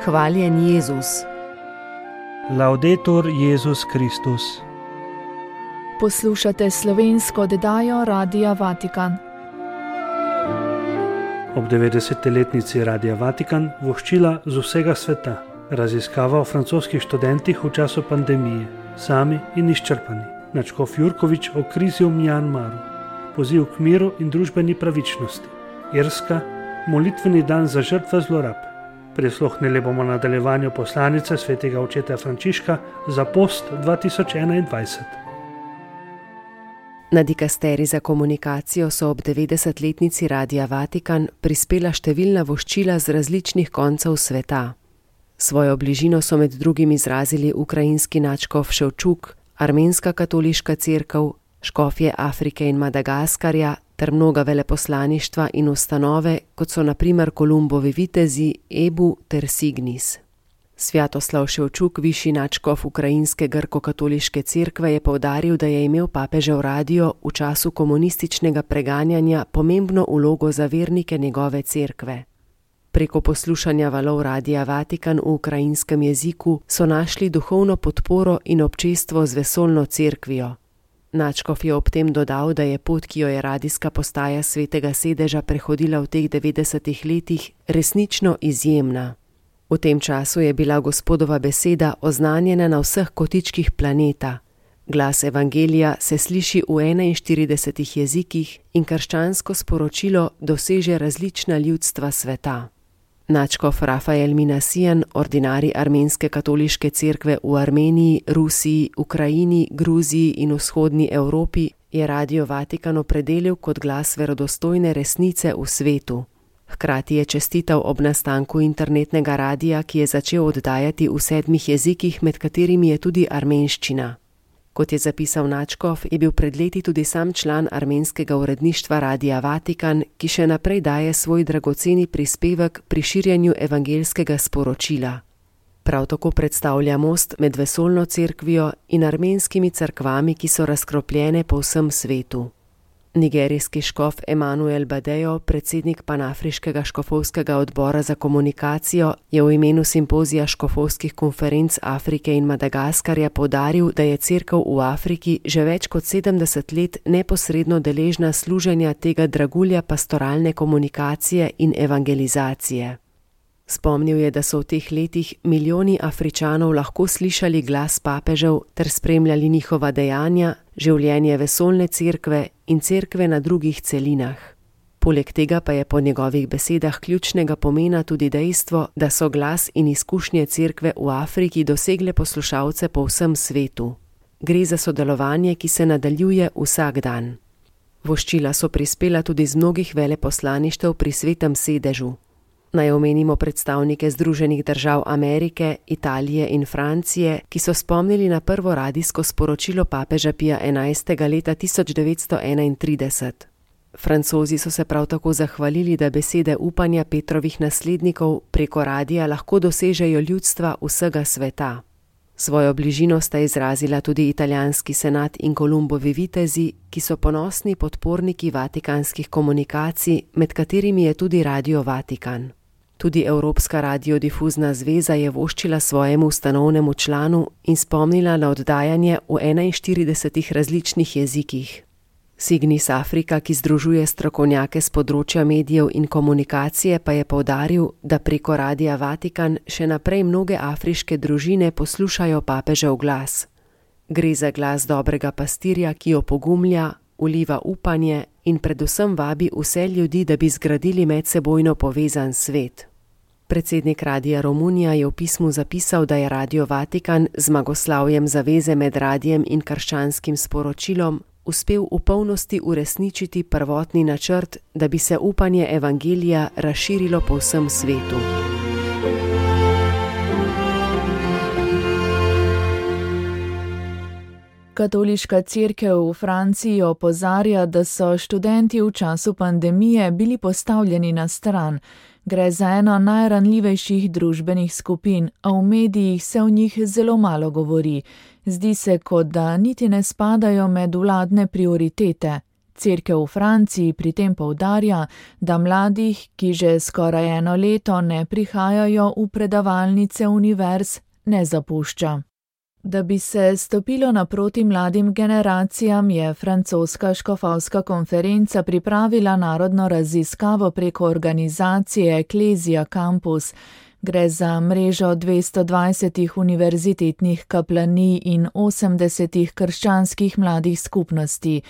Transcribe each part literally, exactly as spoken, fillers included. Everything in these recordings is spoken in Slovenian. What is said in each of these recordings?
Hvaljen Jezus. Laudetur Jezus Kristus. Poslušate slovensko oddajo Radia Vatikan. Ob devetdesetletnici Radia Vatikan voščila z vsega sveta. Raziskava o francoskih študentih v času pandemije, sami in izčrpani. Nadškof Jurkovič o krizi v Mjanmaru. Poziv k miru in družbeni pravičnosti. Irska, molitveni dan za žrtve zlorab. Prisluhnili bomo nadaljevanju poslanice svetega očeta Frančiška za post dva tisoč enaindvajset. Na dikasteri za komunikacijo so ob devetdesetletnici Radia Vatikan prispela številna voščila z različnih koncev sveta. Svojo bližino so med drugim izrazili ukrajinski nadškof Ševčuk, armenska katoliška cerkev, škofje Afrike in Madagaskarja ter mnoga veleposlaništva in ustanove, kot so na primer Kolumbovi vitezi, Ebu ter Signis. Svjatoslav Ševčuk, višji nadškof ukrajinske grko-katoliške cerkve, je poudaril, da je imel papežev radio v času komunističnega preganjanja pomembno vlogo za vernike njegove cerkve. Preko poslušanja valov Radia Vatikan v ukrajinskem jeziku so našli duhovno podporo in občestvo z vesoljno cerkvijo. Nadškof je ob tem dodal, da je pot, ki jo je radijska postaja Svetega sedeža prehodila v teh devetdesetih letih, resnično izjemna. V tem času je bila Gospodova beseda oznanjena na vseh kotičkih planeta. Glas evangelija se sliši v enainštiridesetih jezikih in krščansko sporočilo doseže različna ljudstva sveta. Nadškof Rafael Minasijan, ordinarij armenske katoliške cerkve v Armeniji, Rusiji, Ukrajini, Gruziji in vzhodni Evropi, je Radio Vatikan opredelil kot glas verodostojne resnice v svetu. Hkrati je čestital ob nastanku internetnega radija, ki je začel oddajati v sedmih jezikih, med katerimi je tudi armenščina. Kot je zapisal nadškof, je bil pred leti tudi sam član armenskega uredništva Radia Vatikan, ki še naprej daje svoj dragoceni prispevek pri širjenju evangelskega sporočila. Prav tako predstavlja most med vesoljno cerkvijo in armenskimi cerkvami, ki so razkropljene po vsem svetu. Nigerijski škof Emanuel Badejo, predsednik Panafriškega škofovskega odbora za komunikacijo, je v imenu simpozija škofovskih konferenc Afrike in Madagaskarja poudaril, da je cerkev v Afriki že več kot sedemdeset let neposredno deležna služenja tega dragulja pastoralne komunikacije in evangelizacije. Spomnil je, da so v teh letih milijoni Afričanov lahko slišali glas papežev ter spremljali njihova dejanja, življenje vesoljne cerkve in cerkve na drugih celinah. Poleg tega pa je po njegovih besedah ključnega pomena tudi dejstvo, da so glas in izkušnje cerkve v Afriki dosegle poslušalce po vsem svetu. Gre za sodelovanje, ki se nadaljuje vsak dan. Voščila so prispela tudi z mnogih veleposlaništev pri Svetem sedežu. Naj omenimo predstavnike Združenih držav Amerike, Italije in Francije, ki so spomnili na prvo radijsko sporočilo papeža Pija enajstega leta tisoč devetsto enaintrideset. Francozi so se prav tako zahvalili, da besede upanja Petrovih naslednikov preko radija lahko dosežejo ljudstva vsega sveta. Svojo bližino sta izrazila tudi italijanski senat in Kolumbovi vitezi, ki so ponosni podporniki vatikanskih komunikacij, med katerimi je tudi Radio Vatikan. Tudi Evropska radiodifuzna zveza je voščila svojemu ustanovnemu članu in spomnila na oddajanje v enainštiridesetih različnih jezikih. Signis Afrika, ki združuje strokovnjake z področja medijev in komunikacije, pa je poudaril, da preko Radia Vatikan še naprej mnoge afriške družine poslušajo papežev glas. Gre za glas dobrega pastirja, ki opogumlja, vliva upanje in predvsem vabi vse ljudi, da bi zgradili medsebojno povezan svet. Predsednik Radia Romunija je v pismu zapisal, da je Radio Vatikan z zmagoslavjem zaveze med radijem in krščanskim sporočilom uspel v polnosti uresničiti prvotni načrt, da bi se upanje evangelija razširilo po vsem svetu. Katoliška cerkev v Franciji opozarja, da so študenti v času pandemije bili postavljeni na stran. Gre za eno najranljivejših družbenih skupin, a v medijih se o njih zelo malo govori. Zdi se, kot da niti ne spadajo med vladne prioritete. Cerkev v Franciji pri tem poudarja, da mladih, ki že skoraj eno leto ne prihajajo v predavalnice univerz, ne zapušča. Da bi se stopilo naproti mladim generacijam, je francoska škofovska konferenca pripravila narodno raziskavo preko organizacije Ecclesia Campus. Gre za mrežo dvesto dvajsetih univerzitetnih kaplanij in osemdesetih krščanskih mladih skupnosti.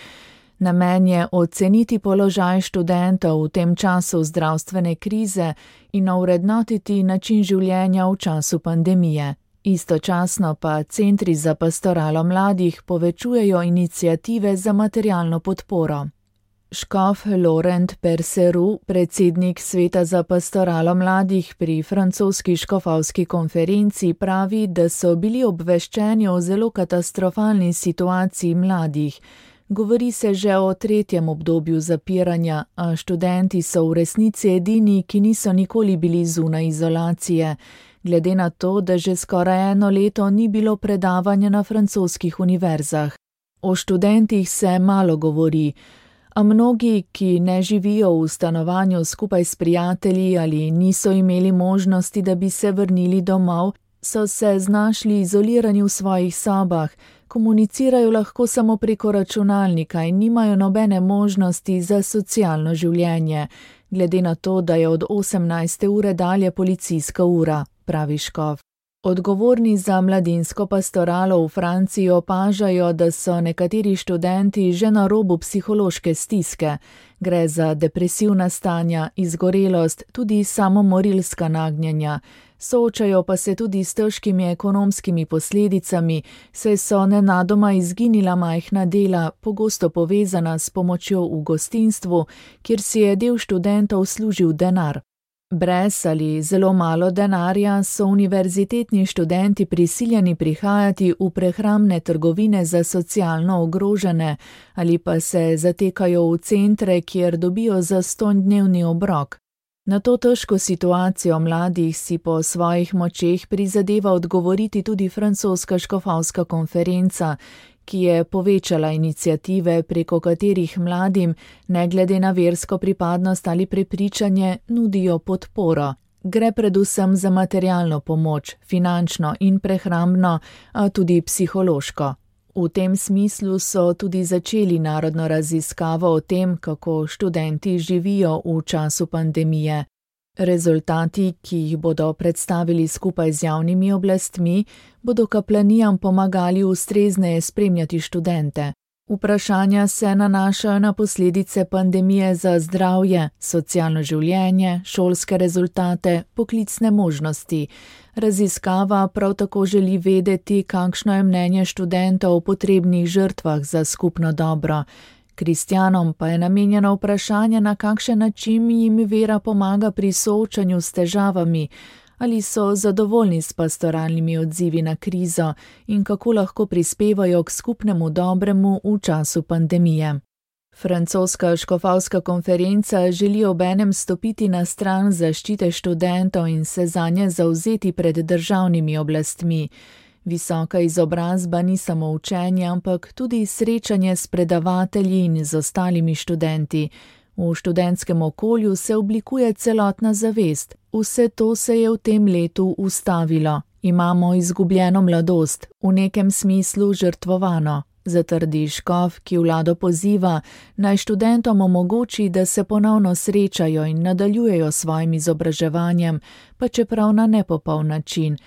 Namen je oceniti položaj študentov v tem času zdravstvene krize in ovrednotiti način življenja v času pandemije. Istočasno pa centri za pastoralo mladih povečujejo iniciative za materialno podporo. Škof Laurent Perceru, predsednik Sveta za pastoralo mladih pri francoski škofovski konferenci, pravi, da so bili obveščeni o zelo katastrofalni situaciji mladih. Govori se že o tretjem obdobju zapiranja, a študenti so v resnici edini, ki niso nikoli bili zunaj izolacije. Glede na to, da že skoraj eno leto ni bilo predavanja na francoskih univerzah. O študentih se malo govori, a mnogi, ki ne živijo v stanovanju skupaj s prijatelji ali niso imeli možnosti, da bi se vrnili domov, so se znašli izolirani v svojih sobah, komunicirajo lahko samo preko računalnika in nimajo nobene možnosti za socialno življenje, glede na to, da je od osemnajste ure dalje policijska ura, pravi škof. Odgovorni za mladinsko pastoralo v Franciji opažajo, da so nekateri študenti že na robu psihološke stiske. Gre za depresivna stanja, izgorelost, tudi samomorilska nagnjenja. Soočajo pa se tudi s težkimi ekonomskimi posledicami, saj so nenadoma izginila majhna dela, pogosto povezana s pomočjo v gostinstvu, kjer si je del študentov služil denar. Brez ali zelo malo denarja so univerzitetni študenti prisiljeni prihajati v prehrambne trgovine za socialno ogrožene ali pa se zatekajo v centre, kjer dobijo zastonj dnevni obrok. Na to težko situacijo mladih si po svojih močeh prizadeva odgovoriti tudi francoska škofovska konferenca, ki je povečala iniciative, preko katerih mladim, ne glede na versko pripadnost ali prepričanje, nudijo podporo. Gre predvsem za materialno pomoč, finančno in prehrambno, a tudi psihološko. V tem smislu so tudi začeli narodno raziskavo o tem, kako študenti živijo v času pandemije. Rezultati, ki jih bodo predstavili skupaj z javnimi oblastmi, bodo kaplanijam pomagali ustrezneje spremljati študente. Vprašanja se nanašajo na posledice pandemije za zdravje, socialno življenje, šolske rezultate, poklicne možnosti. Raziskava prav tako želi vedeti, kakšno je mnenje študentov o potrebnih žrtvah za skupno dobro. Kristjanom pa je namenjeno vprašanje, na kakšen način jim vera pomaga pri soočanju s težavami, ali so zadovoljni s pastoralnimi odzivi na krizo in kako lahko prispevajo k skupnemu dobremu v času pandemije. Francoska škofovska konferenca želi obenem stopiti na stran zaščite študentov in se zanje zavzeti pred državnimi oblastmi. Visoka izobrazba ni samo učenje, ampak tudi srečanje s predavatelji in z ostalimi študenti. V študentskem okolju se oblikuje celotna zavest. Vse to se je v tem letu ustavilo. Imamo izgubljeno mladost, v nekem smislu žrtvovano, zatrdi škof, ki vlado poziva, naj študentom omogoči, da se ponovno srečajo in nadaljujejo svojim izobraževanjem, pa čeprav na nepopoln način.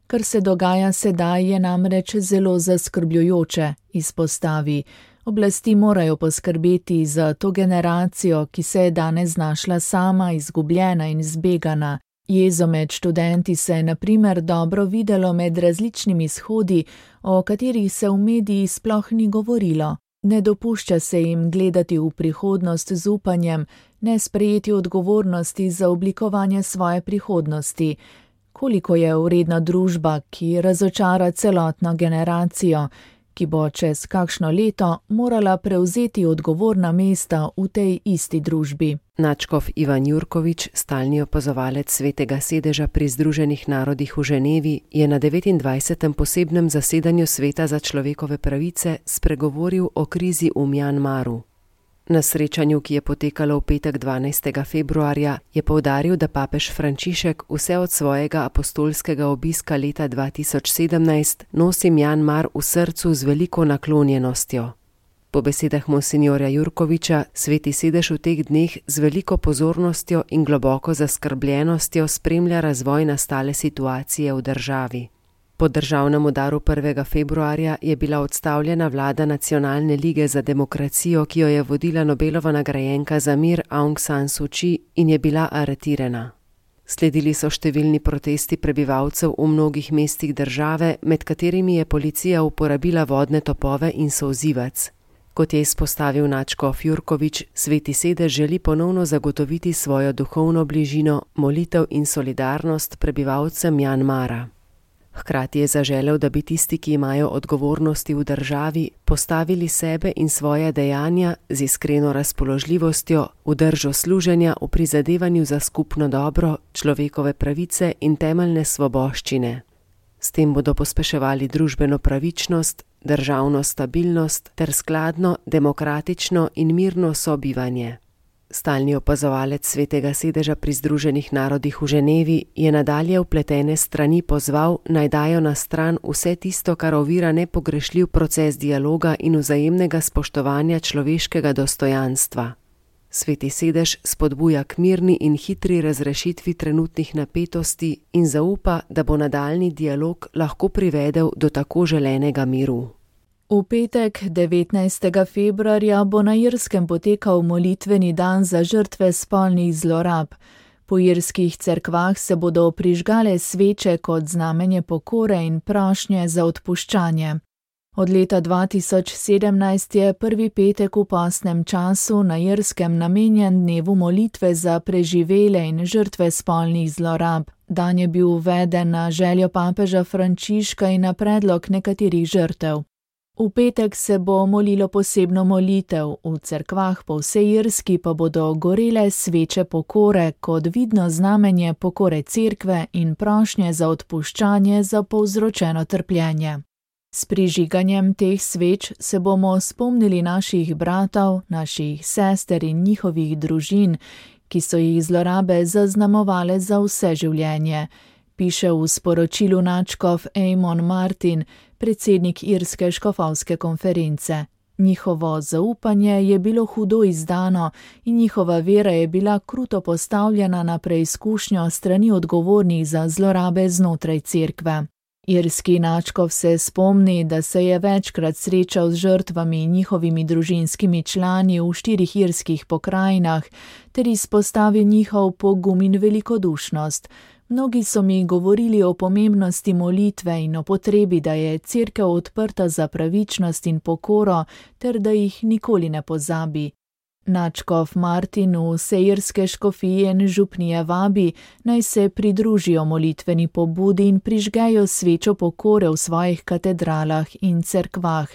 Kar se dogaja sedaj, je namreč zelo zaskrbljujoče, izpostavi. Oblasti morajo poskrbeti za to generacijo, ki se je danes znašla sama, izgubljena in zbegana. Jezo med študenti se je na primer dobro videlo med različnimi shodi, o katerih se v mediji sploh ni govorilo. Ne dopušča se jim gledati v prihodnost z upanjem, ne sprejeti odgovornosti za oblikovanje svoje prihodnosti. Koliko je vredna družba, ki razočara celotno generacijo, ki bo čez kakšno leto morala prevzeti odgovorna mesta v tej isti družbi. Nadškof Ivan Jurkovič, stalni opazovalec Svetega sedeža pri Združenih narodih v Ženevi, je na devetindvajsetem posebnem zasedanju Sveta za človekove pravice spregovoril o krizi v Mjanmaru. Na srečanju, ki je potekalo v petek dvanajstega februarja, je poudaril, da papež Frančišek vse od svojega apostolskega obiska leta dva tisoč sedemnajst nosi Mjanmar v srcu z veliko naklonjenostjo. Po besedah monsinjorja Jurkoviča, Sveti sedež v teh dneh z veliko pozornostjo in globoko zaskrbljenostjo spremlja razvoj nastale situacije v državi. Po državnem udaru prvega februarja je bila odstavljena vlada Nacionalne lige za demokracijo, ki jo je vodila Nobelova nagrajenka za mir Aung San Suu Kyi in je bila aretirana. Sledili so številni protesti prebivalcev v mnogih mestih države, med katerimi je policija uporabila vodne topove in solzivec. Kot je izpostavil nadškof Jurkovič, Sveti sedež želi ponovno zagotoviti svojo duhovno bližino, molitev in solidarnost prebivalcem Mjanmara. Hkrati je zaželel, da bi tisti, ki imajo odgovornosti v državi, postavili sebe in svoje dejanja z iskreno razpoložljivostjo, v držo služenja, v prizadevanju za skupno dobro, človekove pravice in temeljne svoboščine. S tem bodo pospeševali družbeno pravičnost, državno stabilnost ter skladno, demokratično in mirno sobivanje. Stalni opazovalec Svetega sedeža pri Združenih narodih v Ženevi je nadalje vpletene strani pozval, naj dajo na stran vse tisto, kar ovira nepogrešljiv proces dialoga in vzajemnega spoštovanja človeškega dostojanstva. Sveti sedež spodbuja k mirni in hitri razrešitvi trenutnih napetosti in zaupa, da bo nadaljnji dialog lahko privedel do tako želenega miru. V petek devetnajstega februarja bo na Irskem potekal molitveni dan za žrtve spolnih zlorab. Po irskih cerkvah se bodo prižgale sveče kot znamenje pokore in prošnje za odpuščanje. Od leta dva tisoč sedemnajst je prvi petek v postnem času na Irskem namenjen dnevu molitve za preživele in žrtve spolnih zlorab. Dan je bil uveden na željo papeža Frančiška in na predlog nekaterih žrtev. V petek se bo molilo posebno molitev, v cerkvah po vsej Irski pa bodo gorele sveče pokore kot vidno znamenje pokore cerkve in prošnje za odpuščanje za povzročeno trpljenje. S prižiganjem teh sveč se bomo spomnili naših bratov, naših sester in njihovih družin, ki so jih zlorabe zaznamovale za vse življenje, piše v sporočilu nadškof Eamon Martin, predsednik Irske škofovske konference. Njihovo zaupanje je bilo hudo izdano in njihova vera je bila kruto postavljena na preizkušnjo strani odgovornih za zlorabe znotraj cerkve. Irski nadškof se spomni, da se je večkrat srečal z žrtvami in njihovimi družinskimi člani v štirih irskih pokrajinah ter izpostavil njihov pogum in velikodušnost. Mnogi so mi govorili o pomembnosti molitve in o potrebi, da je cerkev odprta za pravičnost in pokoro, ter da jih nikoli ne pozabi. Nadškof Martin vse irske škofije in župnije vabi, naj se pridružijo molitveni pobudi in prižgejo svečo pokore v svojih katedralah in cerkvah.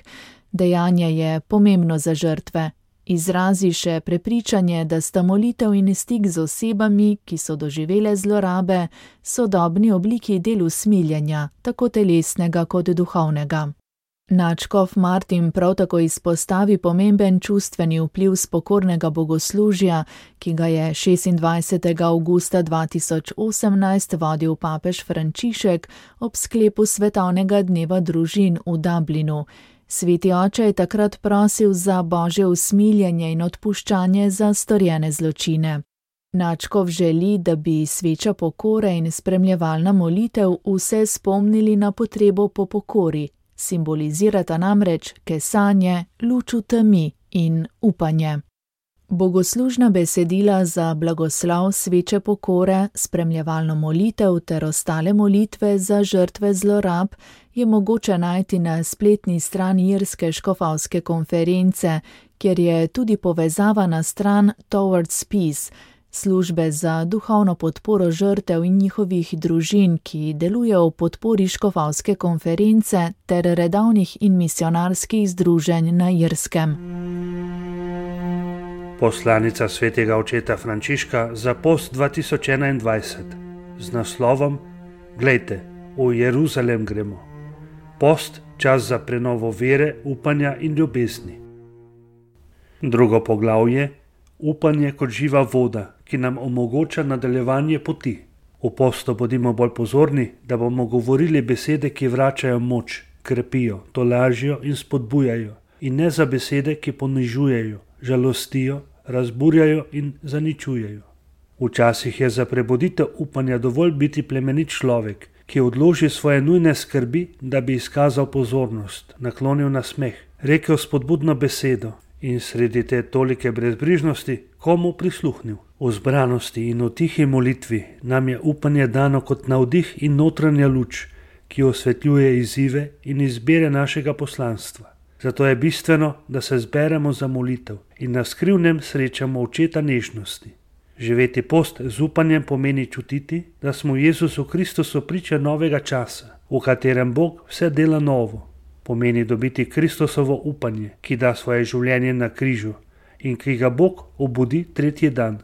Dejanje je pomembno za žrtve. Izrazi še prepričanje, da sta molitev in stik z osebami, ki so doživele zlorabe, sodobni obliki del usmiljenja, tako telesnega kot duhovnega. Nadškof Martin prav tako izpostavi pomemben čustveni vpliv spokornega bogoslužja, ki ga je šestindvajsetega avgusta dva tisoč osemnajst vodil papež Frančišek ob sklepu svetovnega dneva družin v Dublinu. Sveti oče je takrat prosil za božje usmiljenje in odpuščanje za storjene zločine. Nadškof želi, da bi sveča pokore in spremljevalna molitev vse spomnili na potrebo po pokori, simbolizirata namreč kesanje, luč v temi in upanje. Bogoslužna besedila za blagoslov sveče pokore, spremljevalno molitev ter ostale molitve za žrtve zlorab je mogoče najti na spletni strani Irske škofovske konference, kjer je tudi povezava na stran Towards Peace, službe za duhovno podporo žrtev in njihovih družin, ki delujejo v podpori škofovske konference ter redovnih in misionarskih združenj na Irskem. Poslanica svetega očeta Frančiška za post dva tisoč enaindvajset z naslovom Glejte, v Jeruzalem gremo. Post, čas za prenovo vere, upanja in ljubezni. Drugo poglavje: upanje kot živa voda, ki nam omogoča nadaljevanje poti. V postu bodimo bolj pozorni, da bomo govorili besede, ki vračajo moč, krepijo, tolažijo in spodbujajo, in ne za besede, ki ponižujejo, žalostijo, razburjajo in zaničujejo. Včasih je za prebuditev upanja dovolj biti plemenit človek, ki odloži svoje nujne skrbi, da bi izkazal pozornost, naklonil nasmeh, rekel spodbudno besedo in sredi te tolike brezbrižnosti komu prisluhnil. V zbranosti in v tihi molitvi nam je upanje dano kot navdih in notranja luč, ki osvetljuje izzive in izbire našega poslanstva. Zato je bistveno, da se zberemo za molitev in na skrivnem srečamo očeta nežnosti. Živeti post z upanjem pomeni čutiti, da smo v Jezusu Kristusu priča novega časa, v katerem Bog vse dela novo. Pomeni dobiti Kristusovo upanje, ki da svoje življenje na križu in ki ga Bog obudi tretji dan.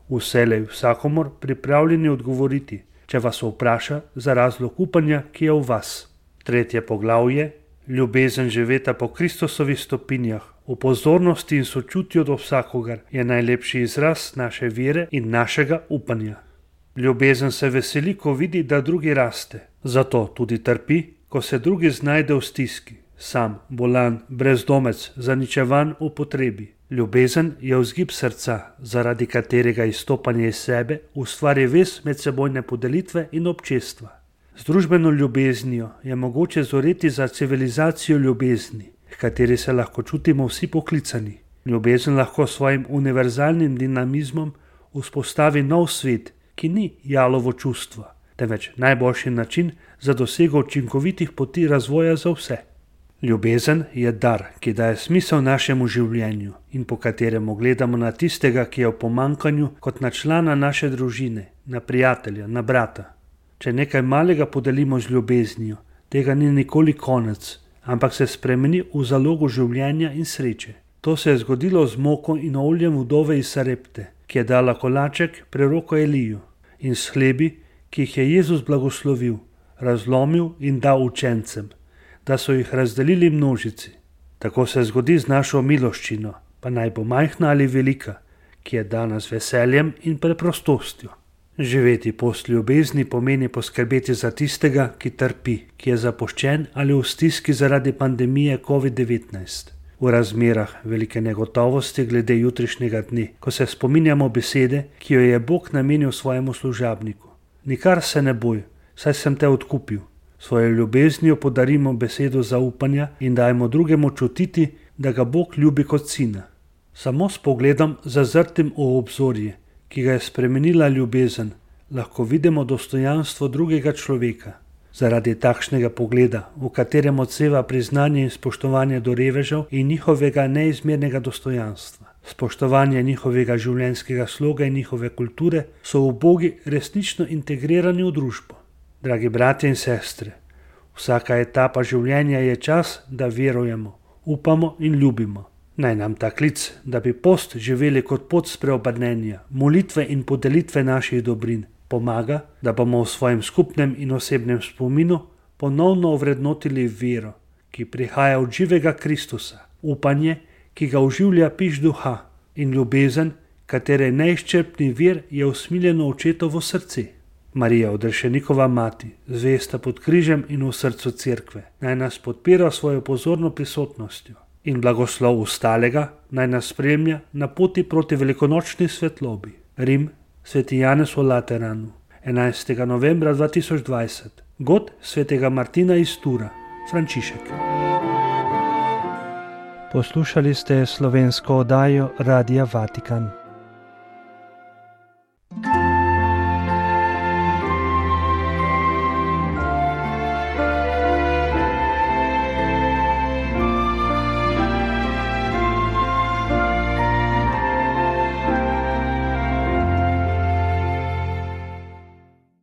Vselej vsakomor pripravljeni odgovoriti, če vas vpraša za razlog upanja, ki je v vas. Tretje poglavje: ljubezen živeta po Kristusovih stopinjah, v pozornosti in sočutju do vsakogar, je najlepši izraz naše vere in našega upanja. Ljubezen se veseli, ko vidi, da drugi raste. Zato tudi trpi, ko se drugi znajde v stiski, sam, bolan, brezdomec, zaničevan v potrebi. Ljubezen je vzgib srca, zaradi katerega izstopanje iz sebe ustvari vez medsebojne podelitve in občestva. Z družbeno ljubeznijo je mogoče zoreti za civilizacijo ljubezni, h kateri se lahko čutimo vsi poklicani. Ljubezen lahko s svojim univerzalnim dinamizmom vzpostavi nov svet, ki ni jalovo čustvo, temveč najboljši način za dosego učinkovitih poti razvoja za vse. Ljubezen je dar, ki daje smisel našemu življenju in po katerem gledamo na tistega, ki je v pomankanju, kot na člana naše družine, na prijatelja, na brata. Če nekaj malega podelimo z ljubeznijo, tega ni nikoli konec, ampak se spremeni v zalogo življenja in sreče. To se je zgodilo z moko in oljem vdove iz Sarepte, ki je dala kolaček preroku Eliju, in s hlebi, ki jih je Jezus blagoslovil, razlomil in dal učencem, da so jih razdelili množici. Tako se zgodi z našo miloščino, pa naj bo majhna ali velika, ki je dana z veseljem in preprostostjo. Živeti post ljubezni pomeni poskrbeti za tistega, ki trpi, ki je zapuščen ali v stiski zaradi pandemije covid devetnajst. V razmerah velike negotovosti glede jutrišnjega dne, ko se spominjamo besede, ki jo je Bog namenil svojemu služabniku. Nikar se ne boj, saj sem te odkupil. Svojo ljubeznijo podarimo besedo zaupanja in dajmo drugemu čutiti, da ga Bog ljubi kot sina. Samo s pogledom zazrtim v obzorje, ki ga je spremenila ljubezen, lahko vidimo dostojanstvo drugega človeka. Zaradi takšnega pogleda, v katerem odseva priznanje in spoštovanje do revežev in njihovega neizmernega dostojanstva, spoštovanje njihovega življenjskega sloga in njihove kulture, so ubogi resnično integrirani v družbo. Dragi bratje in sestre, vsaka etapa življenja je čas, da verujemo, upamo in ljubimo. Naj nam ta klic, da bi post živeli kot pot spreobrnenja, molitve in podelitve naših dobrin, pomaga, da bomo v svojem skupnem in osebnem spominu ponovno ovrednotili vero, ki prihaja od živega Kristusa, upanje, ki ga oživlja piš duha, in ljubezen, katere neizčrpni vir je usmiljeno očetovo srce. Marija, odrešenikova mati, zvesta pod križem in v srcu cerkve, naj nas podpira svojo pozorno prisotnostjo in blagoslov ostalega naj nas spremlja na poti proti velikonočni svetlobi. Rim, sveti Janez v Lateranu, enajstega novembra dva tisoč dvajset. God svetega Martina iz Tura, Frančišek. Poslušali ste slovensko oddajo Radia Vatikan.